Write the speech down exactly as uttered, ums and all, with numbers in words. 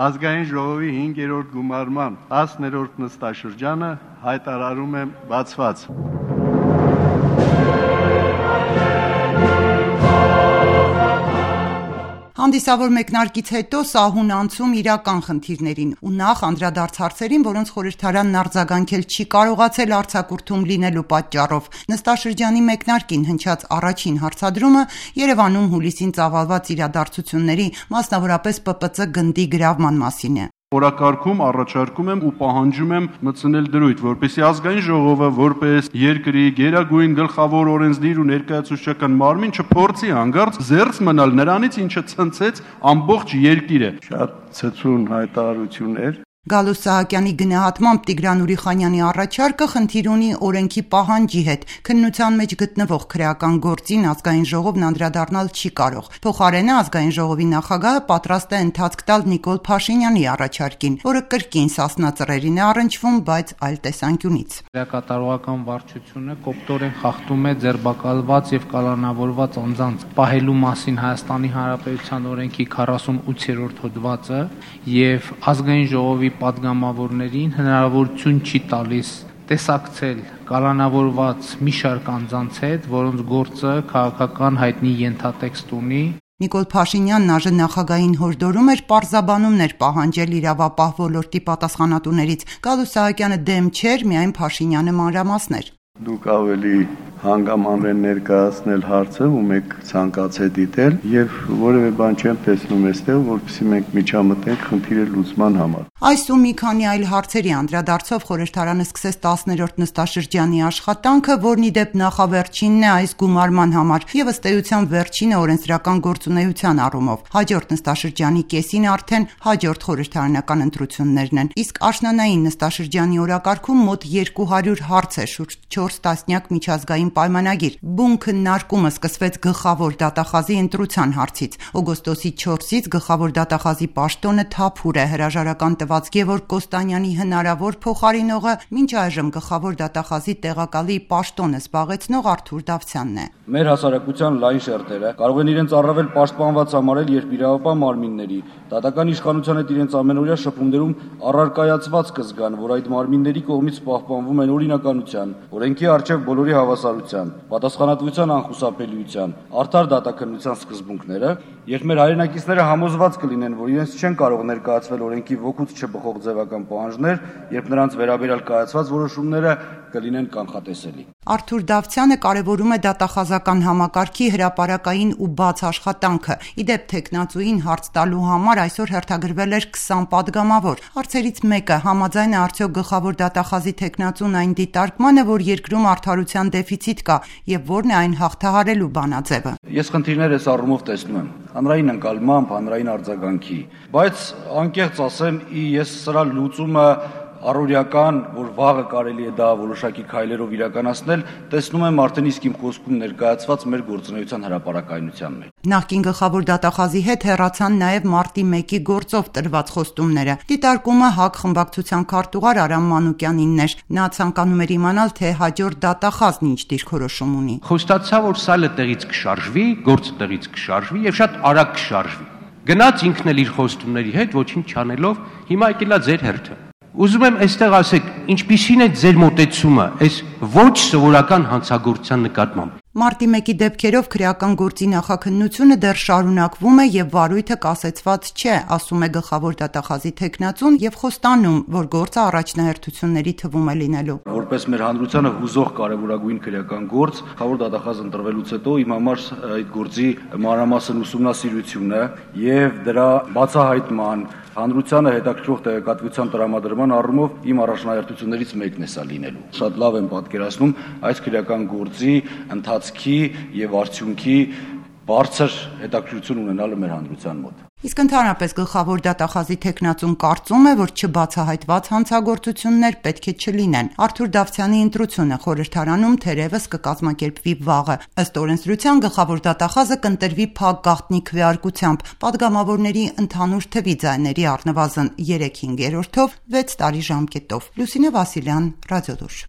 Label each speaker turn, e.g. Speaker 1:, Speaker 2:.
Speaker 1: Ազգային ժողովի հինգերորդ գումարման տասներորդ նստաշրջանը հայտարարում եմ բացված։
Speaker 2: Հանդիսավոր մեկնարկից հետո սահուն անցում իրական խնդիրներին ու նախ անդրադարձ հարցերին, որոնց խորհրդարանն արձագանքել չի կարողացել արձակուրդում լինելու պատճառով։ Նստաշրջանի մեկնարկին հնչած առաջին հարցադրումը Երևանում հուլիսին ծավալված իրադարձությունների, մասնավորապես Պ Պ Ց գնդի գրավման մասին է։
Speaker 3: Օրակարգում առաջարկում եմ ու պահանջում եմ մտցնել դրույթ, որպեսզի ազգային ժողովը որպես երկրի գերագույն գլխավոր օրենսդիր ու ներկայացուցչական մարմին չփորձի հանկարծ զերծ մնալ նրանից, ինչը ցնցեց ամբողջ երկիրը։
Speaker 1: Շատ ցցուն հայտարարություններ։
Speaker 2: Գալուստ Սահակյանի գնահատմամբ Տիգրան Ուրիխանյանի առաջարկը խնդիր ունի օրենքի պահանջի հետ, քննության մեջ գտնվող քրեական գործին ազգային ժողովն անդրադառնալ չի կարող։ Փոխարենը ազգային ժողովի նախագահը պատրաստ է ընթացք տալ Նիկոլ Փաշինյանի առաջարկին, որը կրկին սասնածռերին է առնչվում, բայց այլ տեսանկյունից։
Speaker 4: Քրեակատարողական վարչությունը կոպտորեն խախտում է ձերբակալված եւ կալանավորված անձանց պահելու մասին Հայաստանի Հանրապետության օրենքի քառասունութերորդ հոդվածը եւ ազգային ժողովի պատգամավորներին հնարավորություն չի տալիս տեսակցել կալանավորված մի շարք անձանց հետ, որոնց գործը քաղաքական հայտնի ենթատեքստ ունի։
Speaker 2: Նիկոլ Փաշինյանն ԱԺ նախագահին հորդորում էր պարզաբանումներ պահանջել իրավապահ ոլորտի պատասխանատուներից։ Գալուստ Սահակյանը դեմ չէր, միայն Փաշինյանը մանրամասներ։
Speaker 1: Դուք ավելի հանգամանրեն ներկայացնել հարցը ու մեկ ցանկացե դիտել եւ որևէ բան չեմ տեսնում այստեղ, որովհետեւ մենք միջամտենք խնդիրը լուծման համար։
Speaker 2: Այս ու մի քանի այլ հարցերի անդրադարձով խորհրդարանը սկսեց տասներորդ նստաշրջանի աշխատանքը, որն ի դեպ նախավերջինն է այս գումարման համար եւ ըստ էության վերջինը օրենսդրական գործունեության առումով։ Հաջորդ նստաշրջանի կեսին արդեն հաջորդ խորհրդարանական ընտրություններն են։ Իսկ աշնանային նստաշրջանի օրակարգում մոտ երկու հարյուր հարց է, շուրջ չորս տասնյակ միջազգային պայմանագիր։ Բուն քննարկումը սկսվեց գլխավոր դատախազի ընտրության հարցից։ Օգոստոսի չորսից գլխավոր դատախազի պաշտոնը Թափուր է, հրաժարական տված Գևորգ Կոստանյանի հնարավոր փոխարինողը մինչ այժմ գլխավոր դատախազի տեղակալի պաշտոնը զբաղեցնող Արթուր Դավթյանն է։
Speaker 5: Մեր հասարակության լայն շերտերը կարող են իրենց առավել պաշտպանված համարել, երբ իրավապահ մարմինների դատական իշխանության հետ իրենց ամենօրյա շփումներում առարկայացված կզգան, որ այդ մարմինների կողմից պահպանվում են օրինականության, օրենքի առջև բոլորի հավասարության, պատասխանատվության անխուսափելիության, արդար դատաքննության սկզբունքները, երբ մեր հայրենակիցները համոզված կլինեն, որ իրենց չեն կարող ներկայացվել օրենքի ոգուց չբխող ձևական պահանջներ, երբ նրանց վերաբերյալ կայացված որոշումները կլինեն կանխատեսելի։
Speaker 2: Արթուր Դավթյանը կարևորում է դատախազական համակարգի հրապարակային ու բաց աշխատանքը։ Ի դեպ թեկնածուին հարց տալու համար այսօր հերթագրվել էր քսան պատգամավոր։ Հարցերից մեկը համաձայն է արդյոք գլխավոր դատախազի թեկնածուն այն դիտարկմանը, որ երկրում արդարության դեֆիցիտ կա եւ որն է այն հաղթահարելու բանաձևը։
Speaker 5: Ես խնդիրներ այս առումով տեսնում եմ հանրային ընկալմամբ, հանրային արձագանքի, բայց անկեղծ ասեմ, ես սրա լուծումը առօրյական, որ վաղը կարելի է դա որոշակի քայլերով իրականացնել, տեսնում եմ արդեն իսկ իմ խոսքում ներկայացված մեր գործունեության հրապարակայնության մեջ։
Speaker 2: Նախկին գլխավոր դատախազի հետ հեռացան նաև մարտի մեկի գործով տրված խոստումները։ Դիտարկումը ՀԱԿ խմբակցության քարտուղար Արամ Մանուկյանինն էր։ Նա ցանկանում էր իմանալ, թե հաջորդ դատախազն ինչ դիրքորոշում ունի։
Speaker 6: Խոստացա, որ սալը տեղից կշարժվի, գործը տեղից կշարժվի եւ շատ արագ կշարժվի։ Գնաց ինքն էլ իր խոստումների հետ ոչինչ չանելով, հիմա եկելա ձեր հերթը։ Ուզում եմ այստեղ ասեք, ինչպիսին է ձեր մոտեցումը այս ոչ սովորական հանցագործության նկատմամբ։
Speaker 2: Մարտի մեկի դեպքերով քրեական գործի նախաքննությունը դեռ շարունակվում է եւ վարույթը կասեցված չէ, ասում է գլխավոր դատախազի թեկնածուն եւ խոստանում, որ գործը առաջնահերթությունների թվում է լինելու։
Speaker 5: Որպես մեր հանրությանը հուզող կարևորագույն քրեական գործ, գլխավոր դատախազ ընտրվելուց հետո իմ համար այդ գործի մանրամասն ուսումնասիրությունը եւ դրա բացահայտման, հանրությանը հետաքրքրող տեղեկատվության տրամադրման առումով իմ առաջնահերթություններից մեկն է սա լինելու։ Շատ լավ եմ պատկերացնում այս քրեական գործի ընթացքի եւ արդյունքի բարձր հետաքրքրություն ունենալը մեր հանրության մոտ։
Speaker 2: Իսկ ընդհանրապես գլխավոր դատախազի թեկնածուն կարծում է, որ չբացահայտված հանցագործություններ պետք է չլինեն։ Արթուր Դավթյանի ընտրությունը խորհրդարանում թերևս կկազմակերպվի վաղը։ Ըստ օրենսդրության գլխավոր դատախազը կընտրվի փակ գաղտնի քվեարկությամբ, պատգամավորների ընդհանուր թվի ձայների առնվազն երեք հինգերորդով վեց տարի ժամկետով։ Լուսինե Վասիլյան, Ռադիոլուր։